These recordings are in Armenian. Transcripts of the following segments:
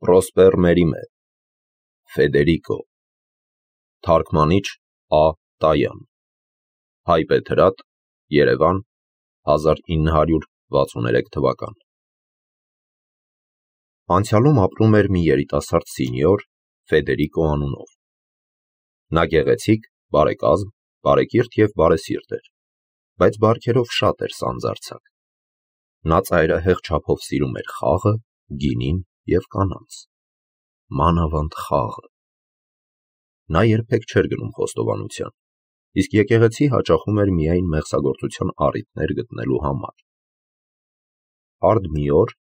Պրոսպեր Մերիմե, Ֆեդերիկո, թարգմանիչ Ա. Տայան, հայբեթրատ, Երևան, 1963 թվական։ Անցյալում ապրում էր մի երիտասարդ սինյոր Ֆեդերիկո անունով։ Նա գեղեցիկ, բարեկազմ, բարեկիրթ և բարեսիրտ էր, բայց բարքերով շատ էր սանձարձակ։ Նա ծայրահեղ չափով սիրում էր խաղը, գինին և կանանց։ Մանավանդ խաղը։ Նա երբեք չէր գնում խոստովանության, իսկ եկեղեցի հաճախում էր միայն մեղսագործության առիթներ գտնելու համար։ Արդ մի օր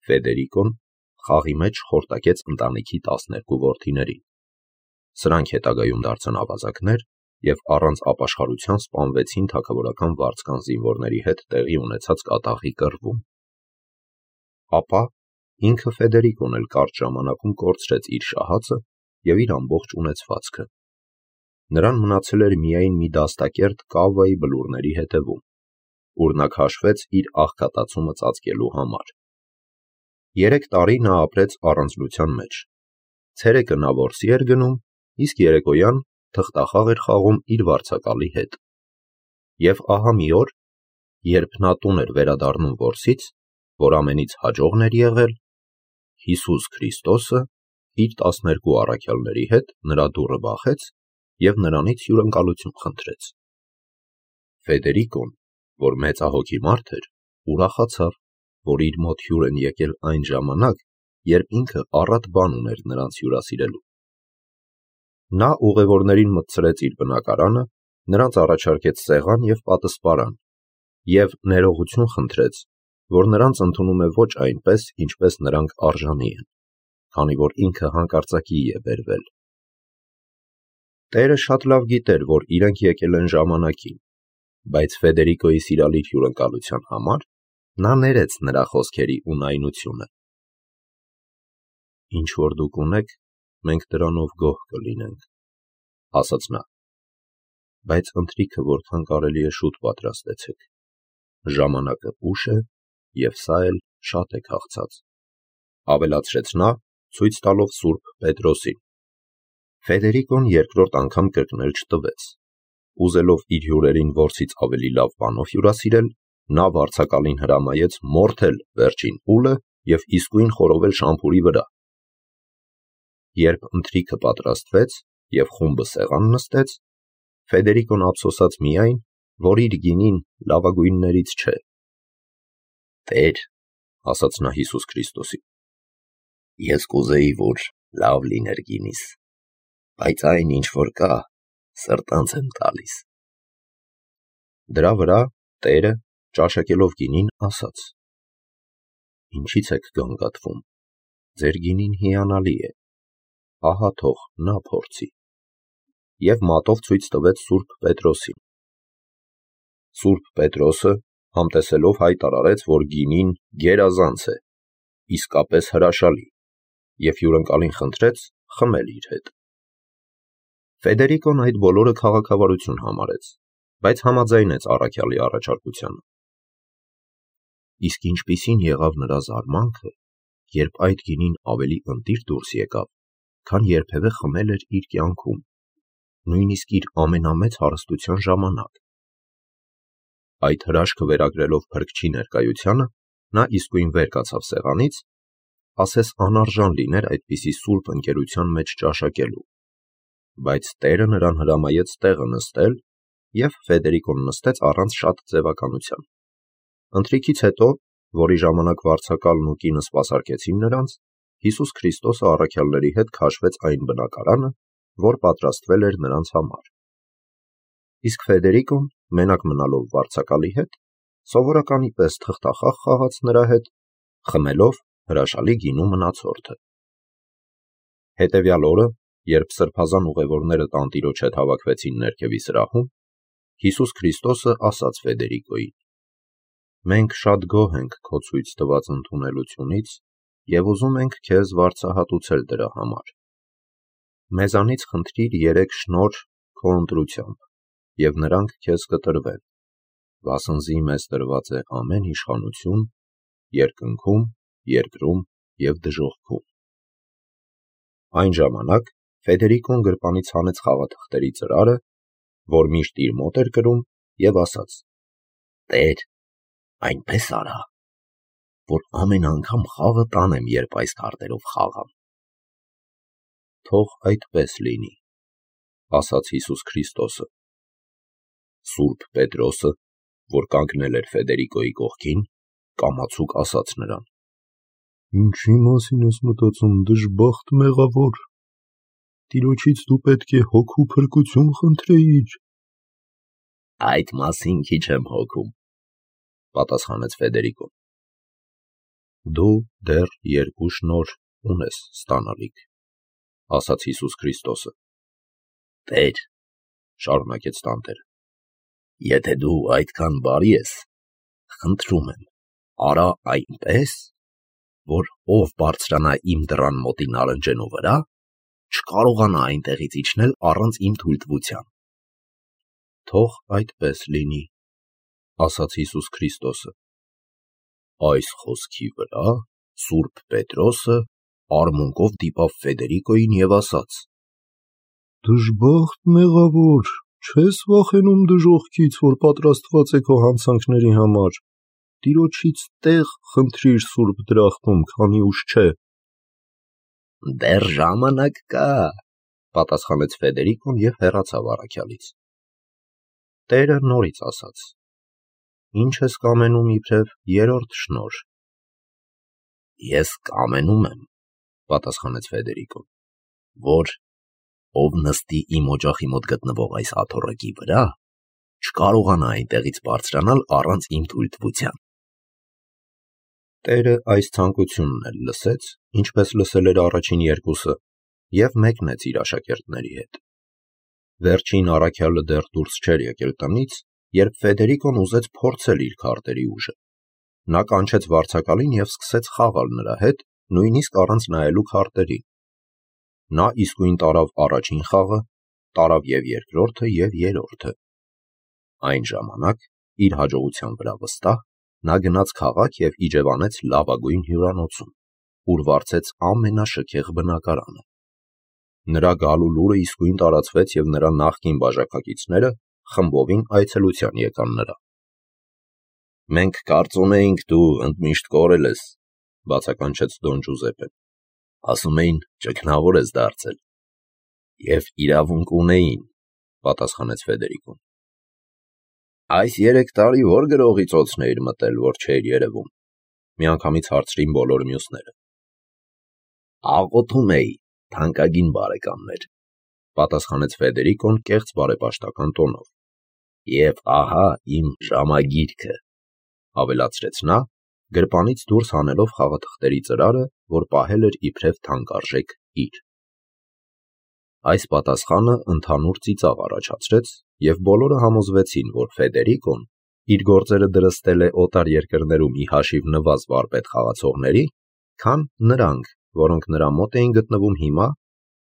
Ֆեդերիկոն խաղի մեջ խորտակեց ընտանիքի 12 որդիներին։ Սրանք հետագայում դարձան ավազակներ և առանց ապաշխարության սպանվեցին թագավորական վարձկան զինվորների հետ տեղի ունեցած կատաղի կռվում։ Ապա ինքը Ֆեդերիկոն էլ կարճ ժամանակում կորցրեց իր շահածը և իր ամբողջ ունեցվածքը։ Նրան մնացել էր միայն մի դաստակերտ կավայի բլուրների հետևում, ուր նա քաշվեց իր աղքատացումը ծածկելու համար։ 3 տարի նա ապրեց առանձնության մեջ։ Ցերեկը նա որսի էր գնում, իսկ երեկոյան թղթախաղ էր խաղում իր վարձակալի հետ։ Եվ ահա մի օր, երբ նա տուն էր վերադառնում որսից, որ ամենից հաջողն էր եղել, Հիսուս Քրիստոսը իր 12 առաքյալների հետ նրա դուռը բախեց և նրանից հյուրընկալություն խնդրեց։ Ֆեդերիկոն, որ մեծահոգի մարդ էր, ուրախացավ, որ իր մոտ հյուր են եկել այն ժամանակ, երբ ինքը առատ բան ուներ նրանց հյուրասիրելու։ Նա ուղևորներին մտցրեց իր բնակարանը, նրանց առաջարկեց սեղան և պատսպարան և ներողություն խնդրեց, որ նրանց ընդունում է ոչ այնպես, ինչպես նրանք արժանի են, քանի որ ինքը հանկարծակիի է բերվել։ Տերը շատ լավ գիտեր, որ իրենք եկել են ժամանակին, բայց Ֆեդերիկոյի սիրալիր հյուրընկալության համար նա ներեց նրա խոսքերի ունայնությունը։ «Ինչ որ դուք ունեք, մենք դրանով գոհ կլինենք», ասաց նա, «բայց ընթրիքը որքան կարելի է շուտ պատրաստեցեք։ Ժամանակը ուշ է, և սա էլ շատ է քաղցած», ավելացրեց նա, ցույց տալով Սուրբ Պետրոսին։ Ֆեդերիկոն երկրորդ անգամ կրկնել չտվեց։ Ուզելով իր հյուրերին որսից ավելի լավ բանով հյուրասիրել, նա վարձակալին հրամայեց մորթել վերջին ուլը և իսկույն խորովել շամփուրի վրա։ Երբ ընթրիքը պատրաստվեց և խումբը սեղան նստեց, Ֆեդերիկոն ափսոսաց միայն, որ իր գինին լավագույններից չէ։ «Տեր», ասաց նա Հիսուս Քրիստոսին, «ես կուզեի, որ լավ լիներ գինիս, բայց այն, ինչ որ կա, սրտանց եմ տալիս»։ Դրա վրա Տերը, ճաշակելով գինին, ասաց. «Ինչի՞ց եք գանգատվում, ձեր գինին հիանալի է, ահա թող նա փորձի», և մատով ցույց տվեց Սուրբ Պետրոսին։ Սուրբ Պետրոսը համտեսելով հայտարարեց, որ գինին գերազանց է, իսկապես հրաշալի, և հյուրընկալին խնդրեց խմել իր հետ։ Ֆեդերիկոն այդ բոլորը քաղաքավարություն համարեց, բայց համաձայնեց առաքյալի առաջարկությանը։ Իսկ ինչպիսին եղավ նրա զարմանքը, երբ այդ գինին ավելի ընտիր դուրս եկավ, քան երբևէ խմել էր իր կյանքում, նույնիսկ իր ամենամեծ հարստության ժամանակ։ Այդ հրաշքը վերագրելով փրկչի ներկայությանը, նա իսկույն վեր կացավ սեղանից, ասես անարժան լիներ այդպիսի սուրբ ընկերության մեջ ճաշակելու, բայց Տերը նրան հրամայեց տեղը նստել, և Ֆեդերիկոն նստեց առանց շատ ձևականության։ Ընթրիքից հետո, որի ժամանակ վարձակալն ու կինը սպասարկեցին նրանց, Հիսուս Քրիստոսը առաքյալների հետ քաշվեց այն բնակարանը, որ պատրաստվել էր նրանց համար։ Իսկ Ֆեդերիկոն, մենակ մնալով վարձակալի հետ, սովորականի պես թղթախաղ խաղաց նրա հետ, խմելով հրաշալի գինու մնացորդը։ Հետևյալ օրը, երբ սրբազան ուղևորները տանտիրոջ հետ հավաքվեցին ներքևի սրահում, Հիսուս Քրիստոսը ասաց Ֆեդերիկոյին. «Մենք շատ գոհ ենք քո ցույց տված ընդունելությունից և ուզում ենք քեզ վարձահատուցել դրա համար։ Մեզանից խնդրիր 3 շնորհ քո ընտրությամբ, և նրանք քեզ կտրվեն, վասնզի մեզ տրված է ամեն իշխանություն, երկնքում, երկրում և դժոխքում»։ Այն ժամանակ Ֆեդերիկոն գրպանից հանեց խաղաթղթերի ծրարը, որ միշտ իր մոտ էր կրում, եւ ասաց. «Տեր, այնպես արա, որ ամեն անգամ խաղը տանեմ, երբ այս քարտերով խաղամ»։ «Թող այդպես լինի», ասաց Հիսուս Քրիստոսը։ Սուրբ Պետրոսը, որ կանգնել էր Ֆեդերիկոյի կողքին, կամացուկ ասաց նրան. «Ինչի մասին ես մտածում, դժբախտ մեղավոր, Տիրոջից դու պետք է հոգու փրկություն խնդրեիր»։ «Այդ մասին քիչ եմ հոգում», պատասխանեց Ֆեդերիկոն։ «Դու դեռ 2 շնորհ ունես ստանալիք», ասաց Հիսուս Քրիստոսը։ «Տեր», շարունակեց տանտերը, «եթե դու այդքան բարի ես, խնդրում եմ, արա այնպես, որ ով բարձրանա իմ դռան մոտի նարնջենու վրա, չկարողանա այնտեղից իջնել առանց իմ թույլտվության»։ «Թող այդպես լինի», ասաց Հիսուս Քրիստոսը։ Այս խոսքի վրա Սուրբ Պետրոսը արմունկով դիպավ Ֆեդերիկոյին եւ ասաց. «Դժբախտ մեղավոր, չես վախենում դժոխքից, որ պատրաստված է քո հանցանքների համար, Տիրոջից տեղ խնդրիր սուրբ դրախտում, քանի ուշ չէ»։ «Դեռ ժամանակ կա», պատասխանեց Ֆեդերիկոն եւ հեռացավ առաքյալից։ Տերը նորից ասաց. «Ինչ ես կամենում իբրև 3-րդ շնորհ»։ «Ես կամենում եմ», պատասխանեց Ֆեդերիկոն, «որ ով նստի իմ օջախի մոտ գտնվող այս աթոռակի վրա, չկարողանա այնտեղից բարձրանալ առանց իմ թույլտվության»։ Տերը այս ցանկությունն էլ լսեց, ինչպես լսել էր առաջին երկուսը, եւ մեկնեց իր աշակերտների հետ։ Վերջին առաքյալը դեռ դուրս չէր եկել տնից, երբ Ֆեդերիկոն ուզեց փորձել իր քարտերի ուժը։ Նա կանչեց վարձակալին եւ սկսեց խաղալ նրա հետ, նույնիսկ առանց նայելու քարտերին։ Նա իսկույն տարավ առաջին խաղը, տարավ եւ երկրորդը եւ երրորդը։ Այն ժամանակ, իր հաջողության վրա վստահ, նա գնաց քաղաք եւ իջևանեց լավագույն հյուրանոցում, ուր վարձեց ամենաշքեղ բնակարանը։ Նրա գալու լուրը իսկույն տարածվեց եւ նրա նախկին բաժակակիցները խմբովին այցելության եկան նրա։ «Մենք կարծում էինք դու ընդմիշտ կորել ես», բացականչեց Դոն Ջուզեպեն։ «Ասում էին ճգնավոր ես դարձել»։ «Եվ իրավունք ունեին», պատասխանեց Ֆեդերիկոն։ «Այս 3 տարի ո՞ր գրողի ծոցն էիր մտել, որ չէիր երևում», միանգամից հարցրին բոլոր մյուսները։ «Աղոթում էի, թանկագին բարեկամներ», պատասխանեց Ֆեդերիկոն կեղծ բարեպաշտական տոնով։ «Եվ ահա իմ ժամագիրքը», ավելացրեց նա, գրպանից դուրս հանելով խաղաթղթերի ծրարը, որ պահել էր իբրև թանկարժեք իր։ Այս պատասխանը ընդհանուր ծիծաղ առաջացրեց, եւ բոլորը համոզվեցին, որ Ֆեդերիկոն իր գործերը դրստել է օտար երկրներում ի հաշիվ նվազ վարպետ խաղացողների, քան նրանք, որոնք նրա մոտ էին գտնվում հիմա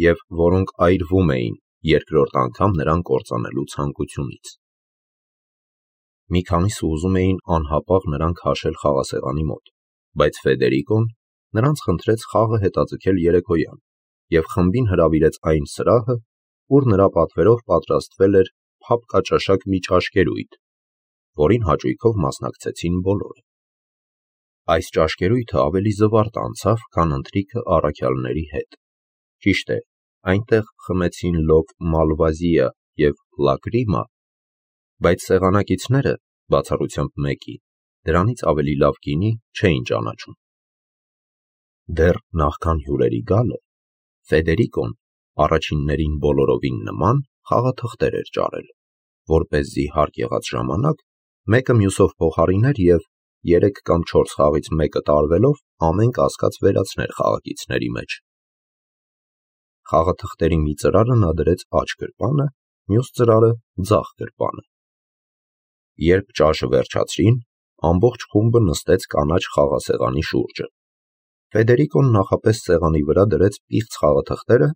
եւ որոնք այրվում էին երկրորդ անգամ նրան կործանելու ցանկությունից։ Մի քանիսը ուզում էին անհապաղ նրան քաշել խաղասեղանի մոտ, բայց Ֆեդերիկոն նրանց խնդրեց խաղը հետաձգել երեկոյան եւ խմբին հրավիրեց այն սրահը, ուր նրա պատվերով պատրաստվել էր փափկաճաշակ մի ճաշկերույթ, որին հաճույքով մասնակցեցին բոլորը։ Այս ճաշկերույթը ավելի զվարթ անցավ, քան ընթրիքը առաքյալների հետ։ Ճիշտ է, այնտեղ խմեցին լոկ Մալվազիա եւ Լակրիմա, բայց սեղանակիցները, բացառությամբ մեկի, դրանից ավելի լավ գինի չէին ճանաչում։ Դեռ նախքան հյուրերի գալը, Ֆեդերիկոն առաջիններին բոլորովին նման խաղաթղթեր էր ճարել, որպեսզի հարկ եղած ժամանակ մեկը մյուսով փոխարիներ եւ 3 կամ 4 խաղից մեկը տարվելով ամեն կասկած վերացներ խաղակիցների մեջ։ Խաղաթղթերի մի ծրարը նա դրեց աջ գրպանը, մյուս ծրարը ձախ գրպանը։ Երբ ճաշը վերջացրին, ամբողջ խումբը նստեց կանաչ խաղասեղանի շուրջը։ Ֆեդերիկոն նախապես սեղանի վրա դրեց պիղծ խաղաթղթերը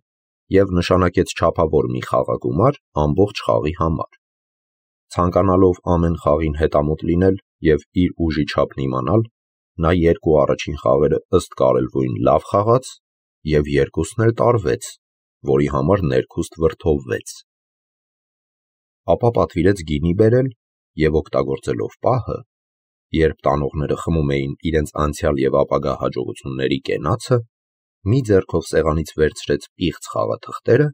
եւ նշանակեց չափավոր մի խաղագումար ամբողջ խաղի համար։ Ցանկանալով ամեն խաղին հետամուտ լինել եւ իր ուժի չափն իմանալ, նա 2 առաջին խաղերը ըստ կարելվույն լավ խաղաց և երկուսն էլ տարվեց, որի համար ներքուստ վրդովվեց։ Ապա պատվիրեց գինի բերել և օգտագործելով պահը, երբ տանողները խմում էին իրենց անցյալ և ապագա հաջողությունների կենացը, մի ձեռքով սեղանից վերցրեց պիղծ խաղաթղթերը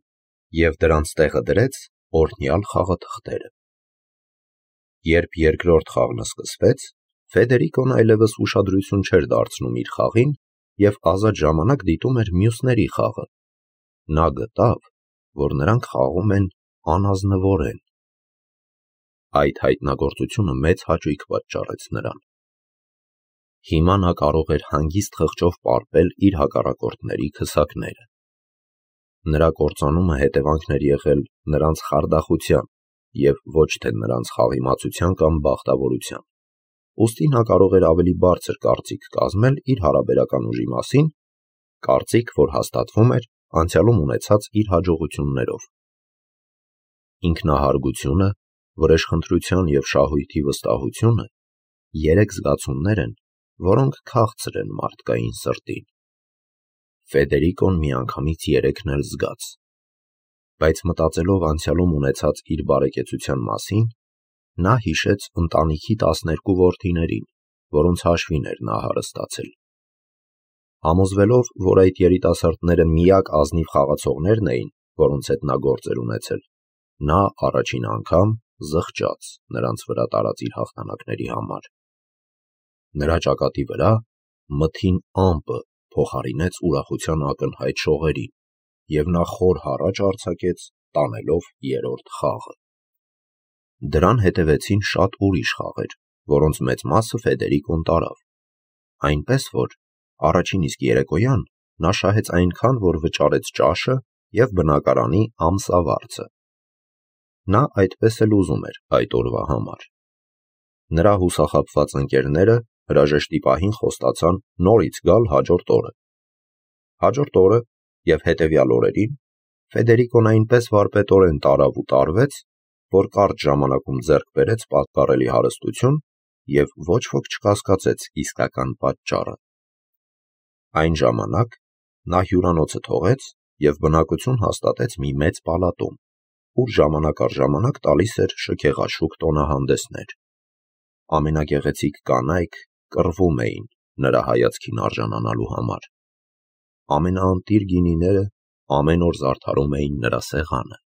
և դրանց տեղը դրեց օրհնյալ խաղաթղթերը։ Երբ երկրորդ խաղն սկսվեց, Ֆեդերիկոն այլևս ուշադրություն չէր դարձնում իր խաղին և ազատ ժամանակ դիտում էր մյուսների խաղը։ Նա գտավ, որ նրանք խաղում են անազնվորեն։ Այդ հայտնագործությունը մեծ հաճույք պատճառեց նրան։ Հիմա նա կարող էր հանգիստ խղճով պարպել իր հակառակորդների քսակները։ Նրա կործանումը հետևանքն էր եղել նրանց խարդախության և ոչ թե նրանց խաղիմացության կամ բախտավորության։ Ուստի նա կարող էր ավելի բարձր կարծիք կազմել իր հարաբերական ուժի մասին, կարծիք, որ հաստատվում էր անցյալում ունեցած իր հաջողություններով։ Ինքնահարգությունը, վրեժխնդրության և շահույթի վստահությունը երեք զգացումներ են, որոնք քաղցր են մարդկային սրտին։ Ֆեդերիկոն միանգամից երեքն էլ զգաց։ Բայց մտածելով անցյալում ունեցած իր բարեկեցության մասին, նա հիշեց ընտանիքի 12 որդիներին, որոնց հաշվին էր նա հարստացել։ Համոզվելով, որ այդ երիտասարդները միակ ազնիվ խաղացողներն էին, որոնց հետ նա գործ էր ունեցել, նա առաջին անգամ զղջաց նրանց վրա տարած իր հաղթանակների համար։ Նրա ճակատի վրա մթին ամպը փոխարինեց ուրախության ակնհայտ շողերին, և նա խոր հառաչ արձակեց, տանելով երրորդ խաղը։ Դրան հետևեցին շատ ուրիշ խաղեր, որոնց մեծ մասը Ֆեդերիկոն տարավ, այնպես որ առաջին իսկ երեկոյան նա շահեց այնքան, որ վճարեց ճաշը և բնակարանի ամսավարձը։ Նա այդպես էլ ուզում էր այդ օրվա համար։ Նրա հուսախաբված ընկերները հրաժեշտի պահին խոստացան նորից գալ հաջորդ օրը։ Հաջորդ օրը և հետևյալ օրերին Ֆեդերիկոն այնպես վարպետորեն տարավ ու տարվեց, որ կարճ ժամանակում ձեռք բերեց պատկառելի հարստություն և ոչ ոք չկասկածեց իսկական պատճառը։ Այն ժամանակ նա հյուրանոցը թողեց և բնակություն հաստատեց մի մեծ պալատում, ուր ժամանակ առ ժամանակ տալիս էր շքեղաշուք տոնահանդեսներ։ Ամենագեղեցիկ կանայք կռվում էին նրա հայացքին արժանանալու համար։ Ամենաընտիր գինիները ամեն օր զարդարում էին նրա սեղանը։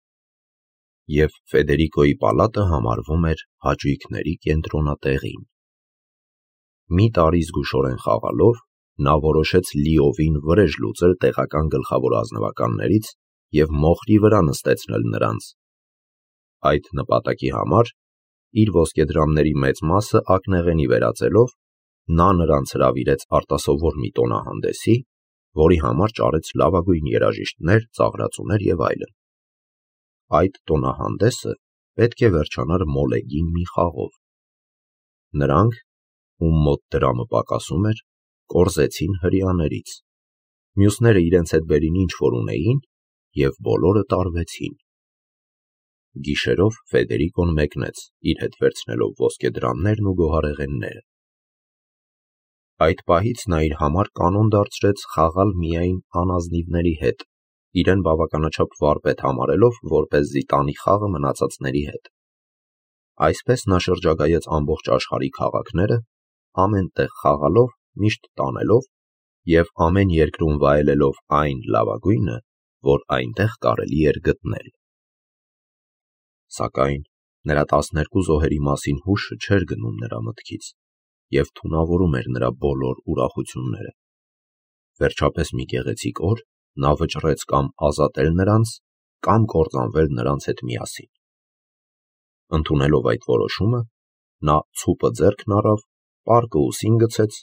Եվ Ֆեդերիկոյի պալատը համարվում էր հաճույքների կենտրոնատեղին։ Մի տարի զգուշորեն խաղալով նա որոշեց լիովին վրեժ լուծել տեղական գլխավոր ազնվականներից և մոխրի վրա նստեցնել նրանց։ Այդ նպատակի համար իր ոսկեդրամների մեծ մասը ակնեղենի վերածելով, նա նրանց հրավիրեց արտասովոր մի տոնահանդեսի, որի համար ճարեց լավագույն երաժիշտներ, ծաղրածուներ և այլն։ Այդ տոնահանդեսը պետք է վերջանար մոլեգին մի խաղով։ Նրանք, ում մոտ դրամը պակասում էր, կորզեցին հրեաներից։ Մյուսները իրենց հետ բերին ինչ որ ունեին և բոլորը տարվեցին։ Գիշերով Ֆեդերիկոն մեկնեց, իր հետ վերցնելով ոսկեդրամներն ու գոհարեղենները։ Այդ պահից նա իր համար կանոն դարձրեց խաղալ միայն անազնիվների հետ, իրեն բավականաչափ վարպետ համարելով, որպեսզի տանի խաղը մնացածների հետ։ Այսպես նա շրջագայեց ամբողջ աշխարհի քաղաքները, ամեն տեղ խաղալով, միշտ տանելով և ամեն երկրում վայելելով այն լավագույնը, որ այնտեղ կարելի էր գտնել։ Սակայն նրա 12 զոհերի մասին հուշը չէր գնում նրա մտքից և թունավորում էր նրա բոլոր ուրախությունները։ Վերջապես մի գեղեցիկ օր նա վճռեց կամ ազատել նրանց, կամ կործանվել նրանց հետ միասին։ Ընդունելով այդ որոշումը, նա ցուպը ձեռքն առավ, պարկը ուսին գցեց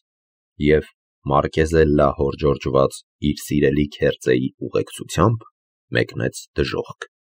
և Մարկեզելլա հորջորջված իր սիրելի քերծեի ուղեկցությամբ մեկնեց դժոխք։